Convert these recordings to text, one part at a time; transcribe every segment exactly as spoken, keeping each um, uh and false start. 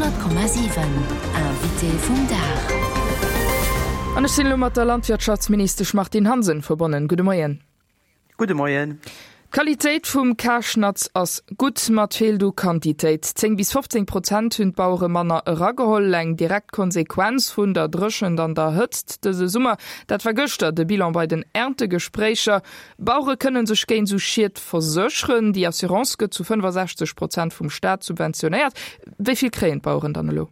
Honnert Komma siwen, Invité vum Dag. An ech sinn elo mat der Landwirtschaftsministesch Martine Hansen verbonnen. Gudde Moien. Gudde Moien. D'Qualitéit vum Karschnatz ass gutt, ma et feelt u Quantitéit. Zéng bis fofzéng Prozent hunn d'Bauere manner erageholl, eng direkt Konsequenz vun der Dréchent an der Hëtzt dëse Summer. Dat war gëschter de Bilan bei den Erntegespréicher. Bauere kënne sech géint esou Schied versécheren. Déi Assurance gëtt zu fënnefasechzeg Prozent vum Staat subventionéiert. Wéi vill kréien d'Baueren dann elo?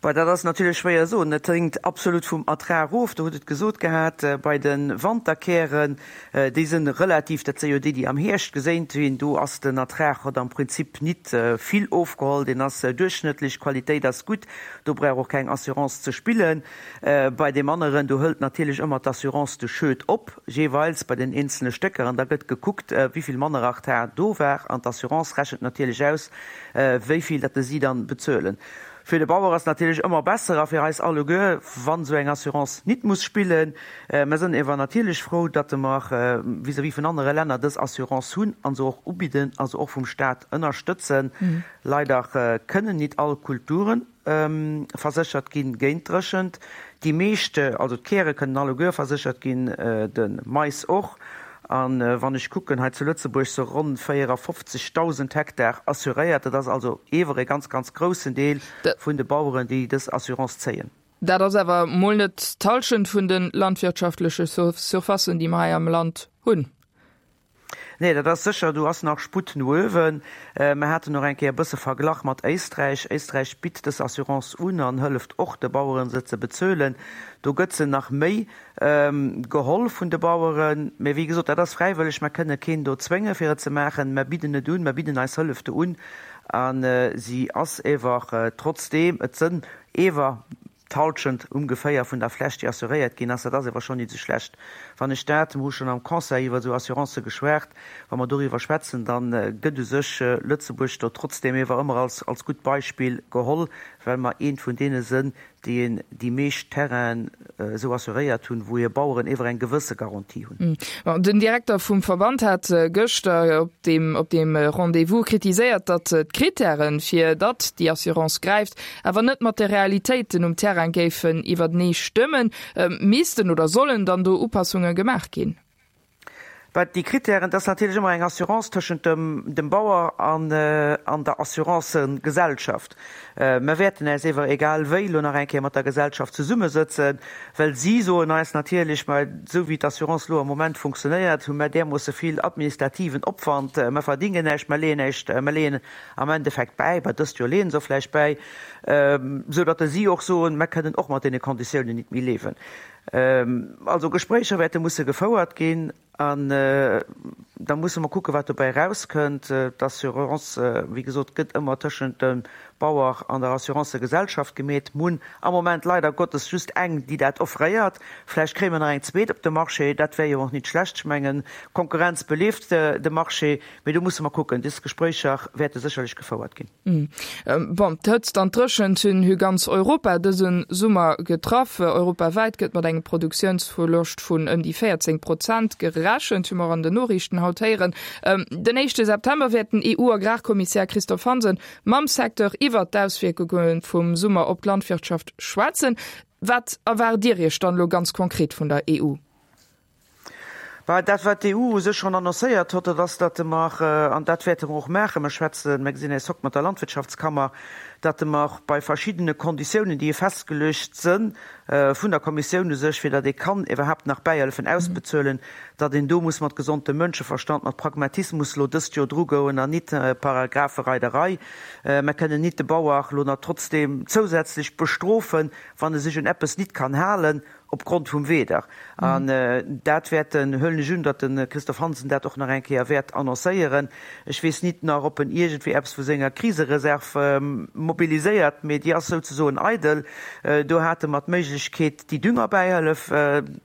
Bah, dat ass natierlech schwéier soen. Et hänkt absolut vum Ertrag of. Do hutt et gesot gehat, bei de Wanterkären, déi sinn relativ, dat si jo déi, déi am Hierscht geséint ginn, do ass den Ertrag, huet am Prinzip nit vill ofgeholl, deen ass duerchschnëttlech, d'Qualitéit ass gutt, do brauch och keng Assurance ze spillen. Bei deem aneren, do hëlt natierlech ëmmer d'Assurance de Schued op, jeeweils bei den eenzele Stécker, an da gëtt gekuckt, wéi vill manner Ertrag do war, an d'Assurance rechent natierlech aus, wéi vill datt si dann bezuelen. Fir de Bauer ass natierlech ëmmer besser a fir eis alleguer, wann esou eng Assurance nit muss spillen. Mer sënn ewer natierlech frou, datt mer vis-à-vis vun anere Länner dës Assurance hunn an se och ubidden a se och vum Staat ënnerstëtzen. Leider kënnen nit all Kulture verséchert ginn géint d'Dréchent. Déi meescht, also d'Käre kënnen alleguer verséchert ginn, de Mais och. A wann ech kucken, hei zu Lëtzebuerg se ronn véierafofzegdausend Hektar assuréiert. Dat ass also ewer e ganz, ganz groussen Deel vun de Baueren, déi dës Assurance zéien. Dat ass awer mol net d'Hallschent vun de landwirtschaftleche Surfacen, déi mer hei am Land hunn. Nee, dat ass sécher, do ass nach Sputt no uewen. Mer haten och eng Kéier e bësse verglach mat Éisträich. Éisträich bitt dës Assurance un an hëlleft och de Baueren, se ze bezuelen. Do gëtt se nach méi geholl vun de Baueren. Mä wéi gesot, dat ass fräiwëlleg. Mer kënne keen do zwénge fir et ze maachen. Mer bidden et un, mer bidden eis Hëllef do un a si ass ewer trotzdeem, et sënn ewer d'Halschent ungeféier vun der Fläch, déi assuréiert ginn ass. Dat ass ewer schonn nit esou schlecht. Wann ech dat, mer hu schonn am Conseil iwwer esou Assurancë geschwat, wa mer doriwwer schwätzen, da gëtt u sech Lëtzebuerg do trotzdeem ewer ëmmer als, als gutt Beispill geholl, well mer eent vun deene sënn, déi een déi meescht Terrainen esou assuréiert hunn, wou hir Baueren ewer eng gewësse Garantie hunn. Den Direkter vum Verband hat gëschter op deem op deem Rendez-vous kritiséiert, datt d'Krittären, fir datt déi Assurance gräift, awer net mat de Realitéiten um Terrain géifen iwwertenee stëmmen. Missten oder sollen dann do Upassunge gemaach ginn? Bah, déi Krittären, dat ass natierlech ëmmer eng Assurance tëschent dem, dem Bauer an, an der Assurancegesellschaft. Mer wäerten äis ewer egal wéi elo nach eng Kéier mat der Gesellschaft zesummesëtzen, well si soen eis natierlech, ma esou wéi d'Assurance elo am Moment funktionéiert, hu mer därmoosse vill administrativen Opwand, mer verdingen näischt, mer leeën näischt, mer leeën am Endeffekt bäi, bah, dëst Joer leeën se och vläicht bäi, esou datt si och soen, mer kënnen och mat deene Konditiounen nit méi liewen. Also Gespréicher wäerte musse gefouert ginn an da musse mer kucken, wat dobäi erauskënnt. D'Assurance, wéi gesot, gëtt ëmmer tëschent dem Bauer an der Assurancegesellschaft gemeet. Mir hunn am Moment leider Gottes just eng, déi dat offréiert. Vläicht kréie mer nach eng zweet op de Marché, dat wär jo och nit schlecht. Ech mengen, Konkurrenz belieft de Marché. Mee do musse mer kucken. Dës Gespréicher wäerte sécherlech gefouert ginn. Bon, d'Hëtzt an d'Dréchent hunn hu ganz Europa dëse Summer getraff. Europawäit gëtt mat engem Produktiounsverloscht vun ëm déi véierzéng Prozent gerechent, hu mer an den Noriichten haut héieren. Den éischte September wäert den E U-Agrarkommissär Christophe Hansen mam Secteur iwwert d'Auswierkunge vum Summer op d'Landwirtschaft schwätzen. Wat erwaart Dir Iech dann elo ganz konkret vun der E U? Bah, dat, wat d'E U u sech schonn annoncéiert huet, dat ass, datt mer, an dat wäerte mer och maachen, mer schwätzen, mer gesinn eis hokt mat der Landwirtschaftskammer, datt mer bei verschiddene Konditiounen, déi festgeluecht sënn vun der Kommissioun u sech, fir datt ee kann iwwerhaapt nach Bäihëllefen ausbezuelen, datt een do muss mat gesontem Mënscheverstand, mat Pragmatismus elo dëst Joer drugoen an nit Paragraphereiderei. Mer kënnen nit de Bauer elo nach trotzdeem zousätzlech bestrofen, wann e sech un eppes nit kann halen, opgrond vum Wieder. An dat wäert den, huelen ech un, datt de Christophe Hansen dat och nach eng Kéier wäert annoncéieren. Ech weess nit nach, ob en iergendwéi eppes vu senger Krisereserv mobiliséiert, mee déi ass souzesoen eidel. Do hate mer d'Méiglechkeet, déi Düngerbäihëllef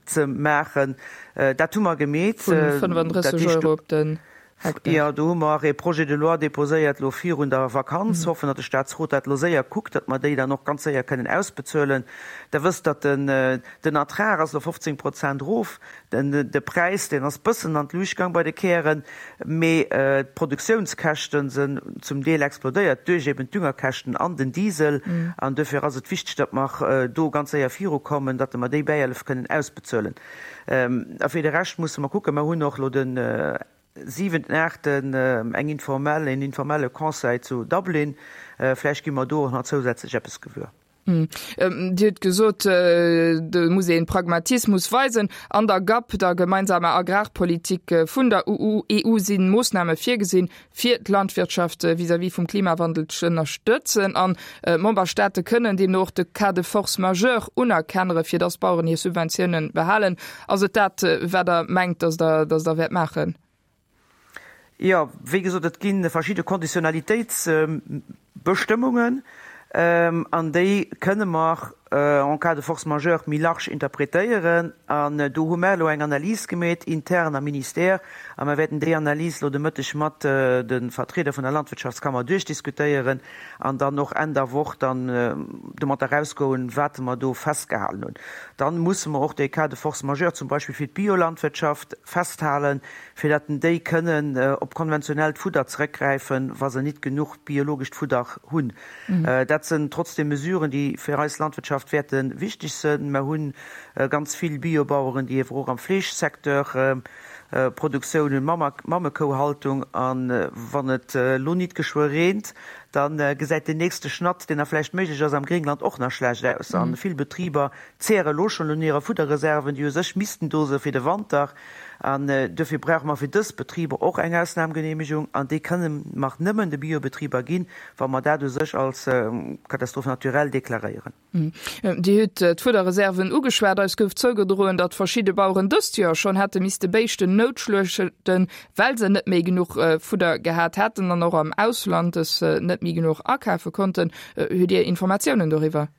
ze maachen. Dat hu mer gemeet. Vun fënnefandrësseg Euro op den. Hektar. Jo, do hu mer e Projet de loi déposéiert elo virun der Vakanz. Hoffen, datt de Statsrot dat elo séier kuckt, datt mer déi dann och ganz séier kënnen ausbezuelen. Der wësst, datt den, den Ertrag ass elo fofzéng Prozent erof, den, de Präis, deen ass bëssen an d'Luucht gaang bei de Kären, mee d'Produktiounskäschte sinn zum Deel explodéiert duerch eben d'Düngerkäschten an den Diesel. An duerfir ass et wichteg, datt mer do ganz séier virukommen, datt mer déi Bäihëllef kënnen ausbezuelen. A fir de Rescht musse mer kucken. Mer hunn och elo den siwenten, aachten eng informell, een informelle Conseil zu Dublin. Vläicht gi mer do och nach zousätzlech eppes gewuer. Dir hutt gesot, do muss ee Pragmatismus weisen. An der GAP, der gemeinsamer Agrarpolitik vun der EU, si Moossname virgesinn, fir d'Landwirtschaft vis-à-vis vum Klimawandel z'ënnerstëtzen. An d'Memberstaate kënnen deemno och de Cas de force majeure unerkennere, fir datt d'Baueren hir Subventiounen behalen. Ass et dat, wat Der mengt, datt Der, datt Der wäert maachen? Jo, wéi gesot, et gi verschidde Konditionalitéitsbestëmmungen an déi kënne mer en cas de force majeure méi large interpretéieren. An do hu mer elo eng Analys gemeet intern am Ministère a mer wäerten déi Analys elo de Mëtteg mat de Vertrieder vun der Landwirtschaftskammer duerchdiskutéieren an dann och Enn der Woch dann domat erausgoen, wat mer do festgehalen hunn. Dann musse mer och dee Cas de force majeure zum Beispill fir d'Biolandwirtschaft festhalen, fir datt déi kënnen op konventionellt Fudder zeréckgräifen, wa se nit genuch biologescht Fudder hunn. Dat sinn trotzdem Mesuren, déi fir eis Landwirtschaft wäerte wichteg sinn. Mer hu ganz vill Biobaueren, déi ewer och am Fleeschsecteur Produktioun hunn, Mammekouhaltung. A wann et elo nit geschwë reent, da gesäit deen nächste Schnatt, deen da vläicht méiglech ass am Gréngland, och nach schlecht aus. A vill Betriber zehre elo schonn un hire Fudderreserven, déi u sech missten do se fir de Wanter. An duerfir brauche mer fir dës Betriber och eng Ausnahmgenehmigung. An déi kënne mer nëmmen de Biobetriber ginn, wa mer dat u sech als Catastrophe naturelle deklaréieren. Dir hutt d'Fudderreserven ugeschwat. Eis gouf zougedroen, datt verschidde Baueren dëst Joer schonn hätte misste Béischten noutschluechten, well se net méi genuch Fudder gehat hätten an och am Ausland es net méi genuch akafe konnten. Hutt Dir Informatiounen doriwwer?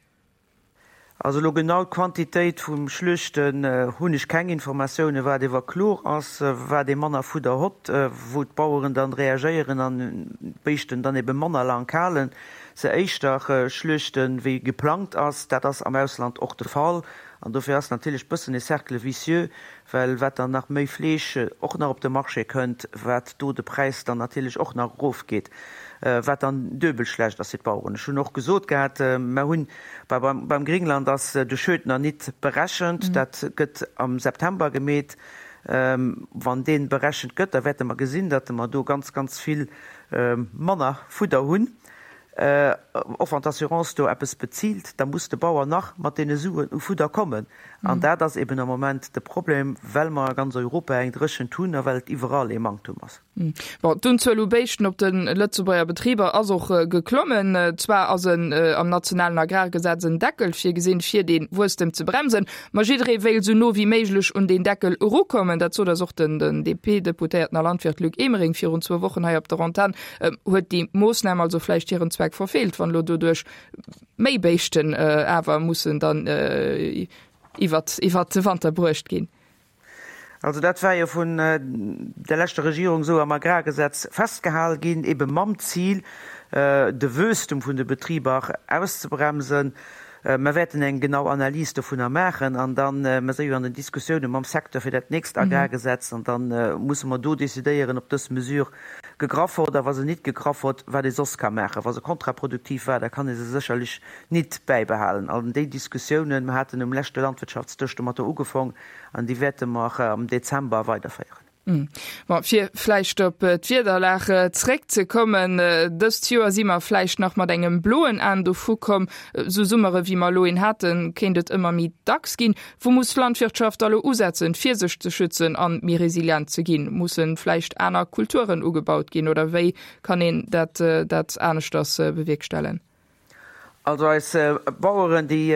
Also elo genau d'Quantitéit vum Schluechten hunn ech keng Informatiounen. Wat ewer kloer ass, wat ee manner Fudder hott, wou d'Baueren dann reagéieren an d'Béischten dann ebe manner laang halen, se éischter schluechten, wéi geplangt ass. Dat ass am Ausland och de Fall. An dofir ass natierlech bëssen e Cercle vicieux, well wat dann nach méi Fleesch och nach op de Marché kënnt, wat do de Präis dann natierlech och nach erofgeet, wat dann duebel schlecht ass fir d'Baueren. Ech hunn och gesot gehat, mer hunn beim Gringland ass de Schued nach nit berechent, dat gëtt am September gemeet. Wann dee berechent gëtt, da wäerte mer gesinn, datt mer do ganz, ganz vill manner Fudder hunn. Och wann d'Assurance do eppes bezilt, da muss de Bauer nach mat deene Suen u Fudder kommen. An dat ass eben am Moment de Problem, well mer a ganz Europa eng Dréchent hunn a well et iwwerall ee Manktum ass. Bon, d'Unzuel u Béischten op de Lëtzebuerger Betriber ass och geklommen. Zwar ass en am nationalen Agrargesetz en Deckel virgesinn, fir dee Wuesstem ze bremsen, ma jidderee wéilt esou no wéi méiglech un deen Deckel erukommen. Dat sot eis och den D P-Deputéierten a Landwirt Luc Emering virun zwou Wochen hei op der Antenn. Huet déi Moossnam also vläicht hiren Zweck verfeelt, wann elo doduerch méi Béischten awer mussen dann iwwert iwwert de Wanter bruecht ginn? Also dat war jo vun der leschter Regierung esou am Agrargesetz festgehal ginn, ebe mam Zil, de Wuesstum vun de Betriber auszebremsen. Mer wäerten eng genau Analys dovunner maachen an dann, mer si jo an den Diskussioune mam Secteur fir dat nächst Agrargesetz, an da musse mer do decidéieren, ob dës Mesure gegraff huet a wa se nit gegraff huet, wat ee soss ka maachen. Wa se kontraproduktiv war, da kann ee se sécherlech nit bäibehalen. An déi Diskussiounen, mer haten um leschte Landwirtschaftsdësch domatter ugefong an déi wäerte mer am Dezember weiderféieren. Bon, fir vläicht op d'Wiederlag zréckzekommen, Dëst Joer si mer vläicht nach mat engem bloen Aen dovu komm. Esou Summere wéi mer elo een haten, kéint et ëmmer méi dacks ginn. Wou muss d'Landwirtschaft da elo usetzen, fir sech ze schützen an méi resilient ze ginn? Mussen vläicht aner Kulturen ugebaut ginn oder wéi kann een dat dat aneschters bewierkstellen? Also eis Baueren, déi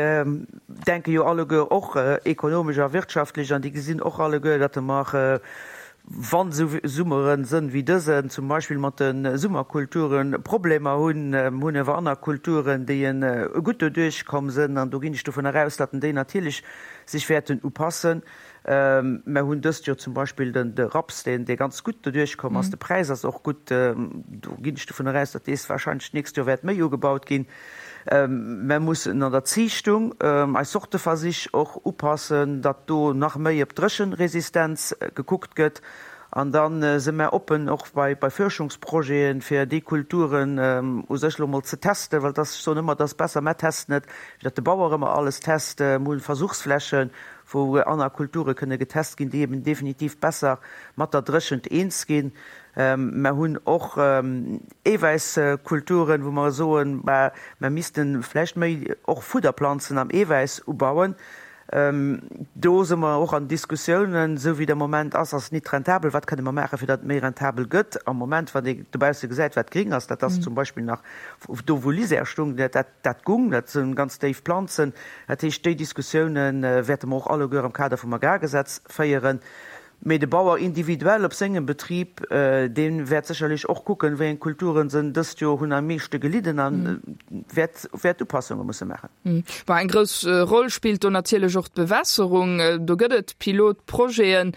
denke jo alleguer och ekonomesch a wirtschaftlech an déi gesinn och alleguer, datt mer, wann esou Summere sënn wéi dësen, zum Beispill mat de Summerkulturen Problemer hunn. Mer hunn awer aner Kulturen, déi gutt doduerch komm sënn an do ginn ech dovun eraus, datt déi natierlech sech wäerten upassen. Mer hunn dëst Joer zum Beispill den de Raps, deen dee ganz gutt doduerch komm ass. De Präis ass och gutt. Do ginn ech dovunner aus, datt dees wahrscheinlech d'nächst Joer wäert méi ugebaut ginn. Mer mussen an der Ziichtung eis Sorteversich och upassen, datt do nach méi op d'Dréchenresistenz gekuckt gëtt. An da si mer oppen och bei bei Fuerschungsprojeten, fir déi Kulturen u sech elo mol ze testen, well et ass, ech soen ëmmer, et ass besser, mer testen et, wéi datt de Bauer ëmmer alles test. Mer hunn Versuchsflächen, wou aner Kulture kënne getest ginn, déi eben definitiv besser mat der Dréchent eens ginn. Mer hunn och Eewäisskulturen, wou mer soen, bah, mer misste vläicht méi och Fudderplanzen am Eewäiss ubauen. Do si mer och an Diskussiounen. Esou wéi et am Moment ass, ass et nit rentabel. Wat kënne mer maachen, fir datt et méi rentabel gëtt? Am Moment, wann ee dobausse gesäit, wat gring ass, dat ass zum Beispill nach do, wou Lisière stung, dat, dat gung, dat si ganz déif Planzen. Dat heescht, déi Diskussiounen wäerte mer och alleguer am Kader vum Agrargesetz féieren. Mee de Bauer individuell op sengem Betrib, dee wäert sécherlech och kucken, wéi eng Kulturen se dëst Joer hunn am meeschte gelidden a wäert wäert Upassunge musse maachen. Bon, eng grouss Roll spillt do natierlech och d'Bewässerung. Do gëtt et Pilotprojeten,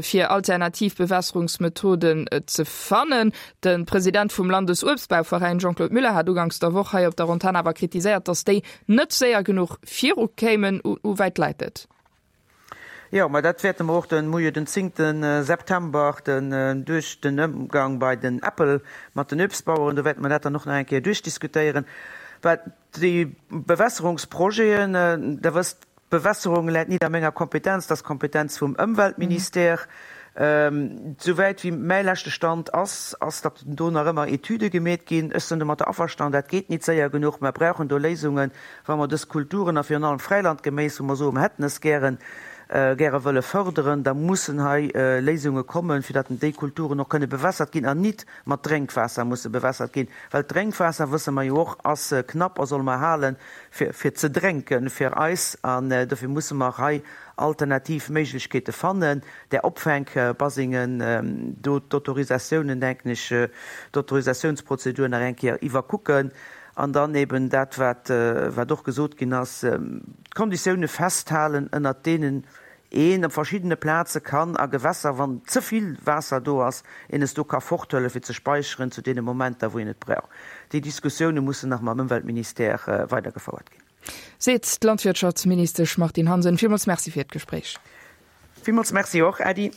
fir alternativ Bewässerungsmethoden ze fannen. De President vum Landesuebstbauveräin Jean-Claude Muller hat uganks der Woch hei op der Antenn awer kritiséiert, datt déi net séier genuch virukéimen. U wäit läit et? Jo, mä dat wäerte mer och den, muer jo den zéngte September, den, duerch den Ëmgang bei den Äppel mat den Uebstbaueren, do wäerte mer dat dann och nach eng Kéier duerchdiskutéieren. Wat déi Bewässerungsprojeten, Der wësst, d'Bewässerung läit nit a menger Kompetenz, dat ass d'Kompetenz vum Ëmweltministère. Souwäit wéi mäi leschte Stand ass, ass, datt do nach ëmmer Etüde gemeet ginn. Ech sinn domatter averstanen, dat geet nit séier genuch. Mer brauchen do Léisungen, wa mer dës Kulturen a virun allem Fräilandgeméis, wou mer soen, mer hätten es gären, gäre wëlle fërderen, da mussen hei Léisunge kommen, fir datt déi Kulturen och kënne bewässert ginn an nit mat Drénkwaasser musse bewässert ginn. Well d'Drénkwaasser, wësse mer jo och, ass knapp a solle mer hale fir, fir ze drénken, fir eis. An dofir musse mer hei alternativ Méiglechkeete fannen, där Opfänkbasingen, do d'Autorisatiounen, denken ech, d'Autorisatiounsprozedur nach eng Kéier iwwerkucken an dann eben dat, wat, wat och gesot ginn ass, d'Konditioune festhalen, ënnert deenen een op verschiddene Plaze kann a Gewässer, wann ze vill Waasser do ass, een es do ka forthuelen, fir ze speicheren zu deene Momenter, wou een et brauch. Déi Diskussioune mussen nach mam Ëmweltministère weidergefouert ginn. Seet d'Landwirtschaftsministesch Martine Hansen. Villmools Merci fir d'Gespréich. Villmools Merci och, Äddi.